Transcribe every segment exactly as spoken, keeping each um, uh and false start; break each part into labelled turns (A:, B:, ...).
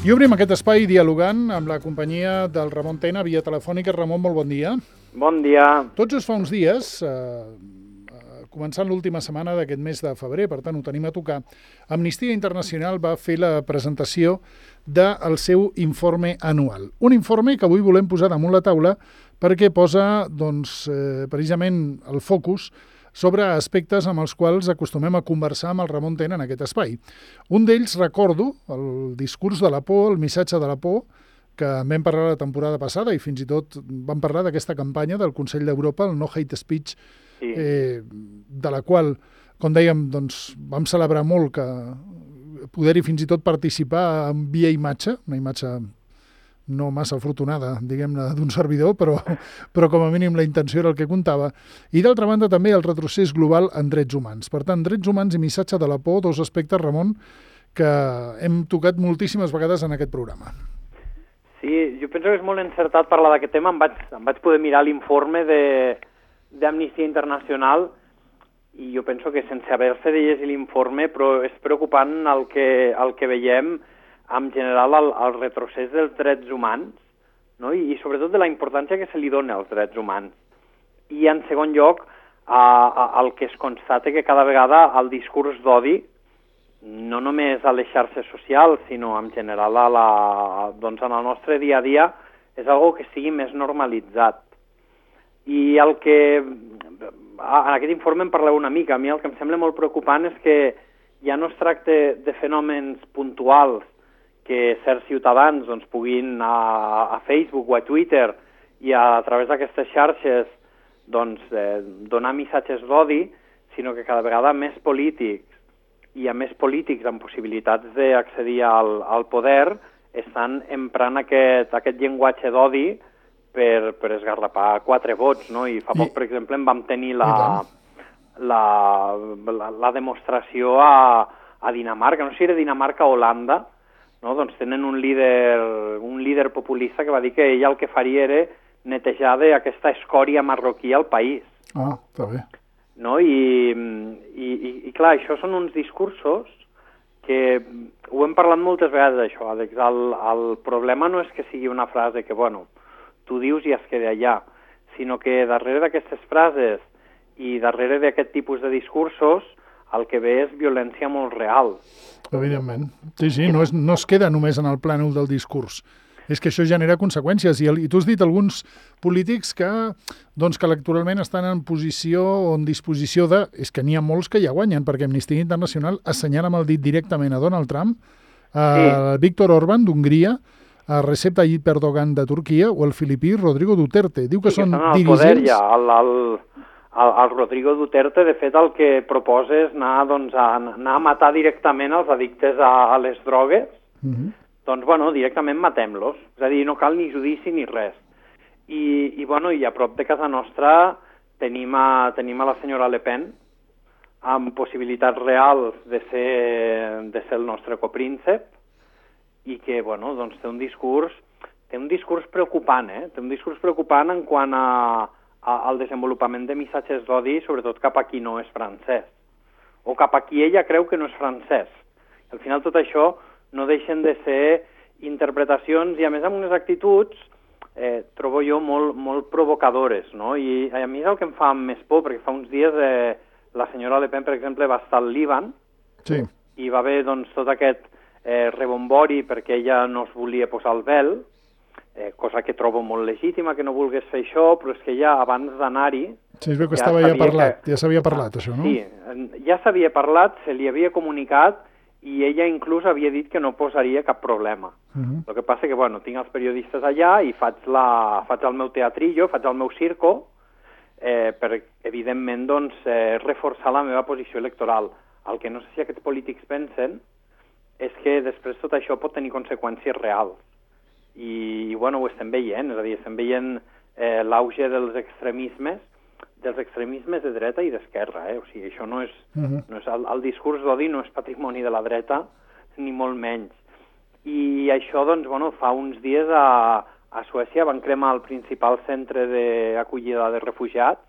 A: I obrim aquest espai dialogant amb la companyia del Ramon Tena via telefònica. Ramon, molt bon dia.
B: Bon dia.
A: Tot just fa uns dies, eh, començant l'última setmana d'aquest mes de febrer, per tant ho tenim a tocar, Amnistia Internacional va fer la presentació del seu informe anual. Un informe que avui volem posar damunt la taula perquè posa doncs, eh, precisament el focus sobre aspectes amb els quals acostumem a conversar amb el Ramon Tena en aquest espai. Un d'ells, recordo, el discurs de la por, el missatge de la por, que en vam parlar la temporada passada i fins i tot vam parlar d'aquesta campanya del Consell d'Europa, el No Hate Speech, sí. eh, de la qual, com dèiem, doncs, vam celebrar molt que poder-hi fins i tot participar en via imatge, una imatge no massa afortunada, diguem-ne, d'un servidor, però, però com a mínim la intenció era el que comptava. I d'altra banda també el retrocés global en drets humans. Per tant, drets humans i missatge de la por, dos aspectes, Ramon, que hem tocat moltíssimes vegades en aquest programa.
B: Sí, jo penso que és molt encertat parlar d'aquest tema. Em vaig, em vaig poder mirar l'informe d'Amnistia Internacional i jo penso que sense haver-se de llegir l'informe, però és preocupant el que, el que veiem en general el, el retrocés dels drets humans, no? I, i sobretot de la importància que se li dona als drets humans. I en segon lloc, a, a, el que es constata que cada vegada el discurs d'odi, no només a les xarxes socials, sinó en general a la, doncs en el nostre dia a dia, és algo que sigui més normalitzat. I el que... En aquest informe en parleu una mica. A mi el que em sembla molt preocupant és que ja no es tracta de fenòmens puntuals que certs ciutadans doncs, puguin a, a Facebook o a Twitter i a, a través d'aquestes xarxes doncs, eh, donar missatges d'odi, sinó que cada vegada més polítics i a més polítics amb possibilitats d'accedir al, al poder estan emprant aquest, aquest llenguatge d'odi per, per esgarrapar quatre vots, no? I fa poc, I... per exemple, en vam tenir la, la, la, la demostració a, a Dinamarca, no sé si era Dinamarca o Holanda. No, doncs tenen un líder, un líder populista que va dir que ell el que faria era netejar d'aquesta escòria marroquí al país.
A: Ah, està bé.
B: No? I, i, i, i clar, això són uns discursos que ho hem parlat moltes vegades, això, Àlex. El, el problema no és que sigui una frase que, bueno, tu dius i es queda allà, sinó que darrere d'aquestes frases i darrere d'aquest tipus de discursos el que ve és violència molt real.
A: Evidentment. Sí, sí, no, és, no es queda només en el plànol del discurs. És que això genera conseqüències. I, el, i tu has dit alguns polítics que, doncs, que electoralment estan en posició o en disposició de... És que n'hi ha molts que ja guanyen, perquè Amnistia Internacional assenyala amb el dit directament a Donald Trump, a sí. Víctor Orbán d'Hongria, a Recep Tayyip Erdogan de Turquia o el filipí Rodrigo Duterte. Diu que
B: sí,
A: són
B: que
A: dirigents...
B: Poder, ja, el, el... El, el Rodrigo Duterte, de fet, el que proposa és anar, doncs, a, anar a matar directament els addictes a, a les drogues. Uh-huh. Doncs, bueno, directament matem-los. És a dir, no cal ni judici ni res. I, i, bueno, i a prop de casa nostra tenim a, tenim a la senyora Le Pen amb possibilitats reals de ser, de ser el nostre copríncep i que, bueno, doncs té un discurs, té un discurs preocupant, eh? Té un discurs preocupant en quant a al desenvolupament de missatges d'odi, sobretot cap a qui no és francès, o cap a qui ella creu que no és francès. Al final tot això no deixen de ser interpretacions i a més amb unes actituds, eh, trobo jo, molt, molt provocadores, no? I a mi és el que em fa més por, perquè fa uns dies eh, la senyora Le Pen, per exemple, va estar al Líban,
A: sí.
B: I va haver doncs, tot aquest eh, rebombori perquè ella no es volia posar el vel, Eh, cosa que trobo molt legítima, que no vulgués fer això, però és que ja abans d'anar-hi...
A: Sí, es veu que ja estava ja parlat, que... ja s'havia parlat, això, no?
B: Sí, ja s'havia parlat, se li havia comunicat i ella inclús havia dit que no posaria cap problema. Uh-huh. El que passa que, bueno, tinc els periodistes allà i faig, la, faig el meu teatrillo, faig el meu circo, eh, per, evidentment, doncs, eh, reforçar la meva posició electoral. El que no sé si aquests polítics pensen és que després tot això pot tenir conseqüències reals. I, i bueno, ho estem veient, és a dir, estem veient eh, l'auge dels extremismes, dels extremismes de dreta i d'esquerra, eh? O sigui, això no és, uh-huh. no és el, el discurs d'odi no és patrimoni de la dreta, ni molt menys. I això, doncs, bueno, fa uns dies a, a Suècia van cremar el principal centre d'acollida de refugiats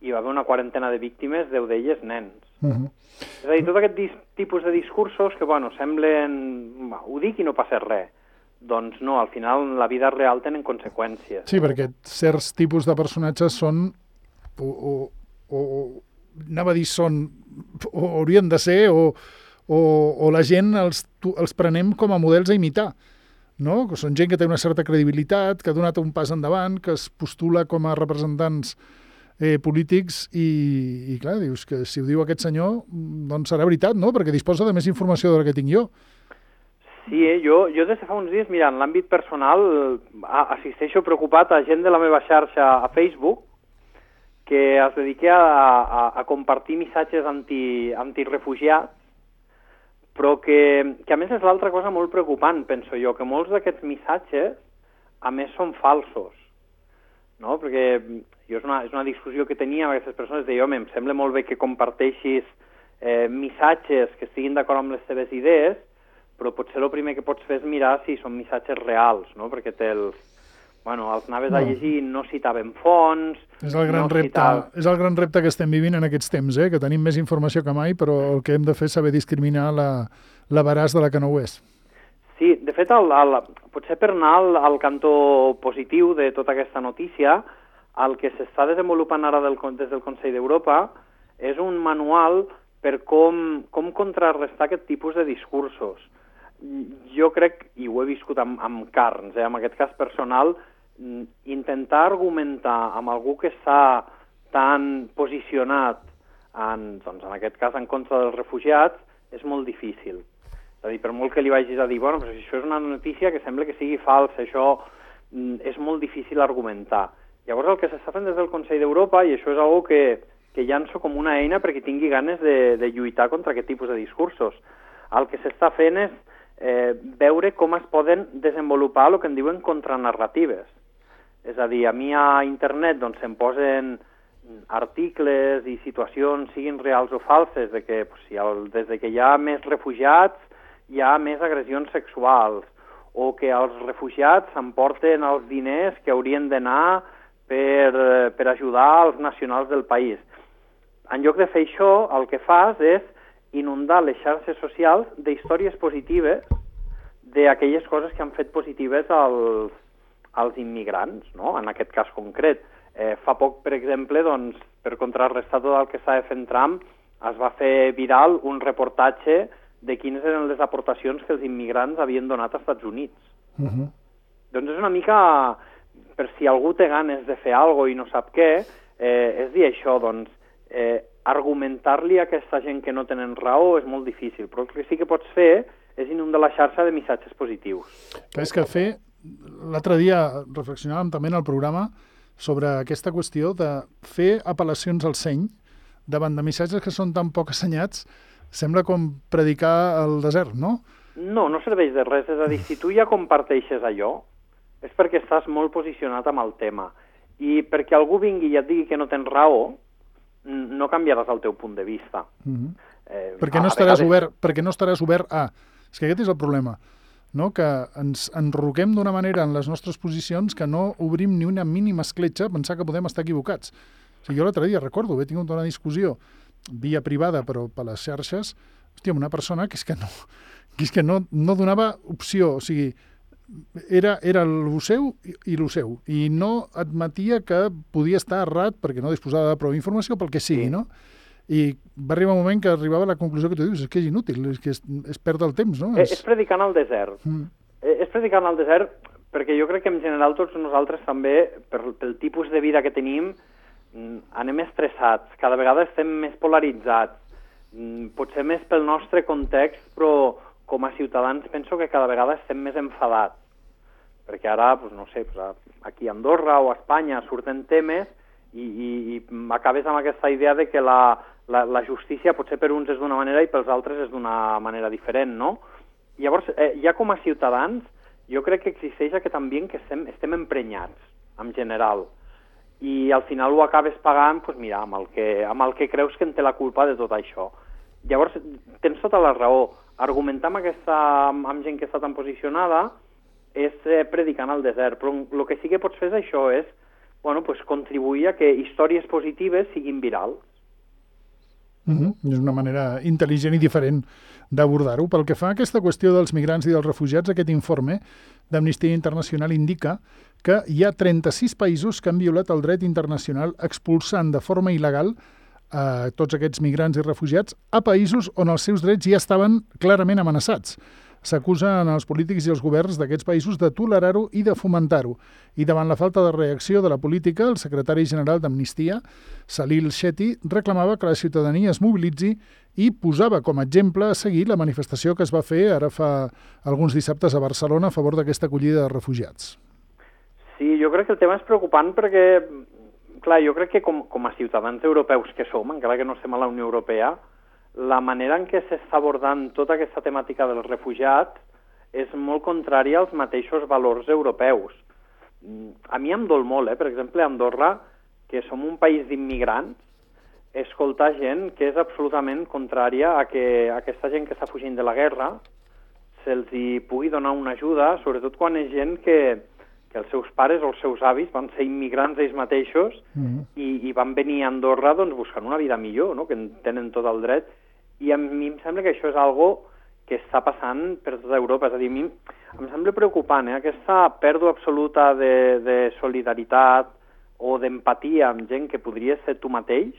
B: i va haver una quarantena de víctimes, deu d'elles nens.
A: Uh-huh.
B: És a dir, tot aquest tipus de discursos que, bueno, semblen... Ho dic i no passa res. Doncs no, al final la vida real tenen conseqüències.
A: Sí, perquè certs tipus de personatges són... O, o, o anava a dir són... O haurien de ser, o, o, o la gent els, els prenem com a models a imitar. No? Que són gent que té una certa credibilitat, que ha donat un pas endavant, que es postula com a representants eh, polítics i, i clar, dius que si ho diu aquest senyor, doncs serà veritat, no? Perquè disposa de més informació de la que tinc jo.
B: Sí, eh? jo, jo des de fa uns dies, mira, en l'àmbit personal assisteixo preocupat a gent de la meva xarxa a Facebook que es dedica a, a, a compartir missatges anti, antirefugiats, però que, que a més és l'altra cosa molt preocupant, penso jo, que molts d'aquests missatges a més són falsos, no? Perquè jo és una, és una discussió que tenia amb aquestes persones, de jo, em sembla molt bé que comparteixis eh, missatges que estiguin d'acord amb les teves idees, però potser el primer que pots fer és mirar si són missatges reals, no? Perquè te'ls... Bueno, els anaves no. a llegir, no citaven fonts...
A: És el, gran
B: no
A: repte,
B: citaven...
A: és el gran repte que estem vivint en aquests temps, eh? Que tenim més informació que mai, però el que hem de fer és saber discriminar la, la veraç de la que no ho és.
B: Sí, de fet, el, el, potser per anar al, al cantó positiu de tota aquesta notícia, el que s'està desenvolupant ara del, des del Consell d'Europa és un manual per com, com contrarrestar aquest tipus de discursos. Jo crec, i ho he viscut amb, amb carns, eh, en aquest cas personal, intentar argumentar amb algú que està tan posicionat, en, doncs en aquest cas en contra dels refugiats, és molt difícil. És a dir, per molt que li vagis a dir, bueno, però si això és una notícia que sembla que sigui falsa, això és molt difícil argumentar. Llavors el que s'està fent des del Consell d'Europa, i això és una que, que llanço com una eina perquè tingui ganes de, de lluitar contra aquest tipus de discursos, el que s'està fent és eh, veure com es poden desenvolupar el que en diuen contranarratives. És a dir, a mi a internet doncs, se'm posen articles i situacions, siguin reals o falses, de que pues, si el, des de que hi ha més refugiats hi ha més agressions sexuals, o que els refugiats s'emporten els diners que haurien d'anar per, per ajudar els nacionals del país. En lloc de fer això, el que fas és inundar les xarxes socials d'històries positives d'aquelles coses que han fet positives als als immigrants, no? En aquest cas concret. Eh, fa poc, per exemple, doncs, per contrarrestar tot el que estava fent Trump, es va fer viral un reportatge de quines eren les aportacions que els immigrants havien donat als Estats Units. Uh-huh. Doncs és una mica, per si algú té ganes de fer alguna cosa i no sap què, eh, és dir això, doncs, eh, argumentar-li a aquesta gent que no tenen raó és molt difícil, però el que sí que pots fer és inundar la xarxa de missatges positius.
A: Que és que fer... L'altre dia reflexionàvem també en el programa sobre aquesta qüestió de fer apel·lacions al seny davant de missatges que són tan poc assenyats, sembla com predicar al desert, no?
B: No, no serveix de res. És a dir, si tu ja comparteixes allò, és perquè estàs molt posicionat amb el tema. I perquè algú vingui i et digui que no tens raó, no canviaràs el teu punt de vista. Uh-huh.
A: eh, perquè, no estaràs vegades... obert, perquè no estaràs obert a... És que aquest és el problema. No? Que ens enroquem d'una manera en les nostres posicions que no obrim ni una mínima escletxa a pensar que podem estar equivocats. O sigui, jo l'altre dia recordo, he tingut una discussió via privada però per les xarxes, hòstia, amb una persona que és que no, que és que no, no donava opció, o sigui, era, era el seu i, i el seu, i no admetia que podia estar errat perquè no disposava de prou informació, pel que sigui, no? I va arribar un moment que arribava a la conclusió que tu dius, és que és inútil, és que és, és perdre el temps, no?
B: És, és predicant al desert. Mm. És predicant al desert perquè jo crec que en general tots nosaltres també, per, pel tipus de vida que tenim, anem estressats, cada vegada estem més polaritzats, potser més pel nostre context, però com a ciutadans penso que cada vegada estem més enfadats. Perquè ara, doncs, no sé, aquí a Andorra o a Espanya surten temes i, i, i acabes amb aquesta idea de que la, la, la justícia potser per uns és d'una manera i pels altres és d'una manera diferent, no? Llavors, eh, ja com a ciutadans, jo crec que existeix aquest ambient que estem, estem emprenyats, en general, i al final ho acabes pagant, doncs mira, amb el, que, amb el que creus que en té la culpa de tot això. Llavors, tens tota la raó. Argumentar amb, aquesta, amb gent que està tan posicionada és eh, predicant al desert, però el que sí que pots fer és això, és bueno, pues, contribuir a que històries positives siguin virals.
A: Uh-huh. És una manera intel·ligent i diferent d'abordar-ho. Pel que fa a aquesta qüestió dels migrants i dels refugiats, aquest informe d'Amnistia Internacional indica que hi ha trenta-sis països que han violat el dret internacional expulsant de forma il·legal a tots aquests migrants i refugiats a països on els seus drets ja estaven clarament amenaçats. S'acusen els polítics i els governs d'aquests països de tolerar-ho i de fomentar-ho. I davant la falta de reacció de la política, el secretari general d'Amnistia, Salil Shetty, reclamava que la ciutadania es mobilitzi i posava com a exemple a seguir la manifestació que es va fer ara fa alguns dissabtes a Barcelona a favor d'aquesta acollida de refugiats.
B: Sí, jo crec que el tema és preocupant perquè, clar, jo crec que com, com a ciutadans europeus que som, encara que no estem a la Unió Europea, la manera en què s'està abordant tota aquesta temàtica dels refugiats és molt contrària als mateixos valors europeus. A mi em dol molt, eh? Per exemple, a Andorra, que som un país d'immigrants, escoltar gent que és absolutament contrària a que aquesta gent que està fugint de la guerra se'ls hi pugui donar una ajuda, sobretot quan és gent que, que els seus pares o els seus avis van ser immigrants ells mateixos mm-hmm. i, i van venir a Andorra doncs, buscant una vida millor, no? Que en tenen tot el dret. I a mi em sembla que això és algo que està passant per tota Europa. És a dir, a mi em sembla preocupant, eh? Aquesta pèrdua absoluta de, de solidaritat o d'empatia amb gent que podria ser tu mateix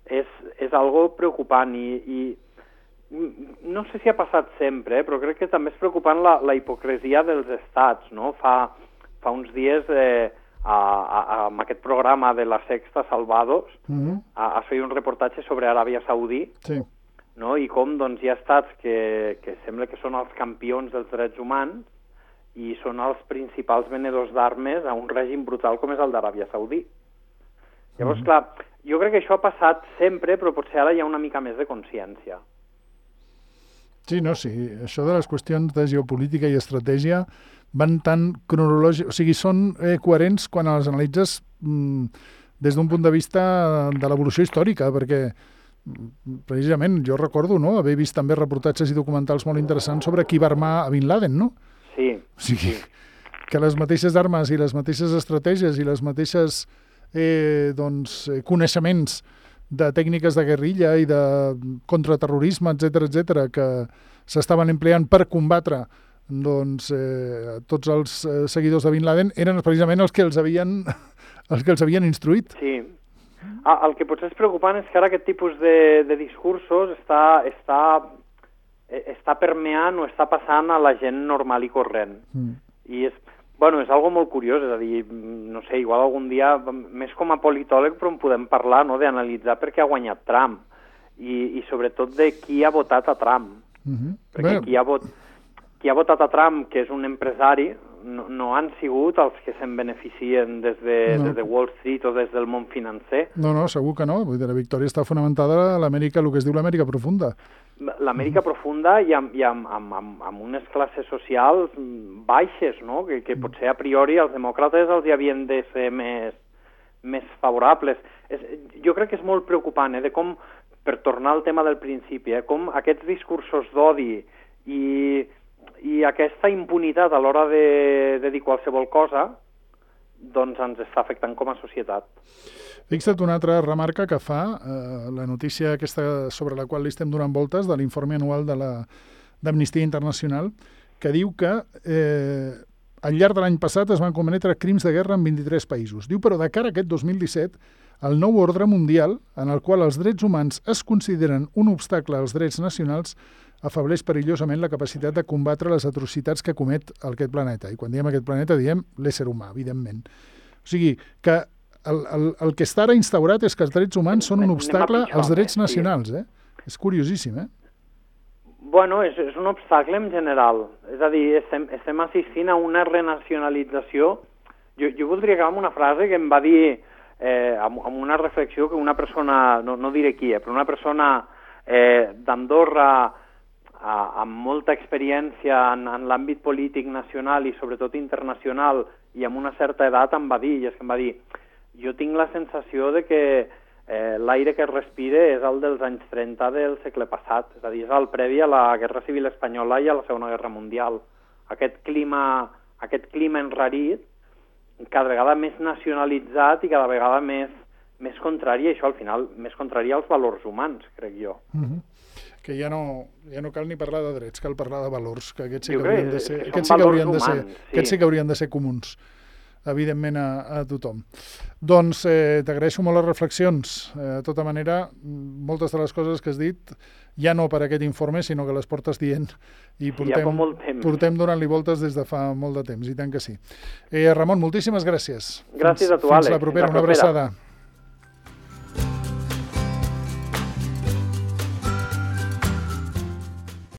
B: és, és algo preocupant i, i no sé si ha passat sempre, eh? Però crec que també és preocupant la, la hipocresia dels estats, no? Fa, fa uns dies eh, a, a, amb aquest programa de la Sexta Salvados mm-hmm. a, a fer un reportatge sobre Aràbia Saudí. Sí. No? I com doncs, hi ha estats que, que sembla que són els campions dels drets humans i són els principals venedors d'armes a un règim brutal com és el d'Aràbia Saudí. Llavors, mm-hmm. clar, jo crec que això ha passat sempre, però potser ara hi ha una mica més de consciència.
A: Sí, no, sí. Això de les qüestions de geopolítica i estratègia van tan cronològic... O sigui, són eh, coherents quan les analitzes mm, des d'un punt de vista de l'evolució històrica, perquè precisament jo recordo, no?, haver vist també reportatges i documentals molt interessants sobre qui va armar a Bin Laden, no?
B: Sí.
A: O sigui,
B: sí.
A: que les mateixes armes i les mateixes estratègies i les mateixes eh, doncs, coneixements de tècniques de guerrilla i de contraterrorisme, etcètera, etcètera, que s'estaven empleant per combatre doncs, eh, tots els eh, seguidors de Bin Laden eren precisament els que els havien, els que els havien instruït.
B: Sí. Ah, el que potser és preocupant és que ara aquest tipus de, de discursos està, està, està permeant o està passant a la gent normal i corrent. Mm. I és, bueno, és algo molt curiós, és a dir, no sé, igual algun dia, més com a politòleg, però en podem parlar, no?, d'analitzar per què ha guanyat Trump i, i sobretot de qui ha votat a Trump. Mm-hmm. Perquè qui ha, vot, qui ha votat a Trump, que és un empresari, no, no han sigut els que se'n beneficien des de, no. des de Wall Street o des del món financer.
A: No, no, segur que no. Vull dir, la victòria està fonamentada a l'Amèrica, el que es diu l'Amèrica profunda.
B: L'Amèrica mm. profunda i, amb, i amb, amb, amb, amb unes classes socials baixes, no?, que, que potser a priori els demòcrates els hi havien de ser més, més favorables. És, jo crec que és molt preocupant, eh, de com, per tornar al tema del principi, eh, com aquests discursos d'odi i... i aquesta impunitat a l'hora de, de dir qualsevol cosa doncs ens està afectant com a societat.
A: Fixa't una altra remarca que fa eh, la notícia aquesta sobre la qual li estem donant voltes de l'informe anual de la d'Amnistia Internacional, que diu que eh, al llarg de l'any passat es van cometre crims de guerra en vint-i-tres països. Diu, però de cara a aquest dos mil disset, el nou ordre mundial, en el qual els drets humans es consideren un obstacle als drets nacionals, afableix perillosament la capacitat de combatre les atrocitats que comet aquest planeta. I quan diem aquest planeta diem l'ésser humà, evidentment. O sigui, que el, el, el que està ara instaurat és que els drets humans són un obstacle als drets nacionals. Eh? És curiosíssim, eh?
B: Bueno, és, és un obstacle en general. És a dir, estem, estem assistint a una renacionalització. Jo, jo voldria acabar amb una frase que em va dir, eh, amb, amb una reflexió que una persona, no, no diré qui, eh, però una persona eh, d'Andorra amb molta experiència en, en l'àmbit polític nacional i sobretot internacional i amb una certa edat em va dir, i és que em va dir, jo tinc la sensació de que eh, l'aire que es respira és el dels anys trenta del segle passat, és a dir, és el previ a la Guerra Civil Espanyola i a la Segona Guerra Mundial. Aquest clima, aquest clima enrarit, cada vegada més nacionalitzat i cada vegada més, més contrària, això al final, més contrària als valors humans, crec jo.
A: Uh-huh. Que ja no, ja no cal ni parlar de drets, cal parlar de valors, que aquests sí
B: Jo
A: que
B: crec
A: haurien de ser,
B: que són
A: aquests sí que haurien de ser,
B: valors humans, sí.
A: aquests sí que haurien de ser comuns, evidentment a, a tothom. Doncs eh, t'agraeixo molt les reflexions. Eh, de tota manera, moltes de les coses que has dit, ja no per aquest informe, sinó que les portes dient i
B: Sí,
A: portem,
B: ja fa molt temps.
A: portem donant-li voltes des de fa molt de temps, i tant que sí. Eh, Ramon, moltíssimes gràcies.
B: Gràcies
A: fins,
B: a tu, Àlex.
A: Fins la propera,
B: Fins la
A: una
B: propera.
A: abraçada.